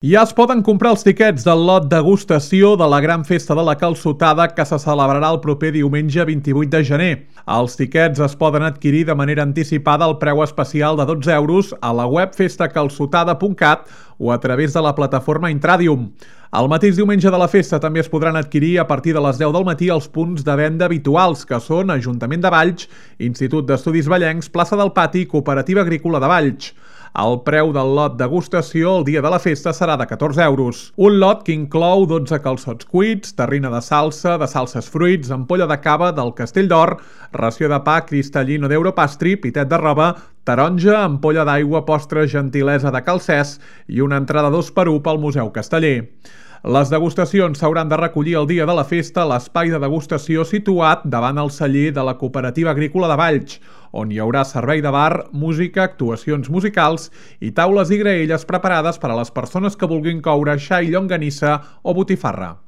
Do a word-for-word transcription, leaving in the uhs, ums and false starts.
Ja es poden comprar els tiquets del lot degustació de la gran festa de la calçotada que se celebrarà el proper diumenge vint-i-vuit de gener. Els tiquets es poden adquirir de manera anticipada al preu especial de dotze euros a la web festa calçotada punt cat o a través de la plataforma Intradium. El mateix diumenge de la festa també es podran adquirir a partir de les deu del matí als punts de venda habituals, que són Ajuntament de Valls, Institut d'Estudis Vallencs, Plaça del Pati i Cooperativa Agrícola de Valls. El preu del lot degustació el dia de la festa serà de catorze euros. Un lot que inclou dotze calçots cuits, terrina de salsa, de salses fruits, ampolla de cava del Castell d'Or, ració de pa Cristal·lino d'Europastry, pitet de roba, taronja, ampolla d'aigua, postre gentilesa de Calcès i una entrada dos per u pel Museu Casteller. Les degustacions s'hauran de recollir el dia de la festa a l'espai de degustació situat davant el celler de la Cooperativa Agrícola de Valls, on hi haurà servei de bar, música, actuacions musicals i taules i graelles preparades per a les persones que vulguin coure xai, llonganissa o botifarra.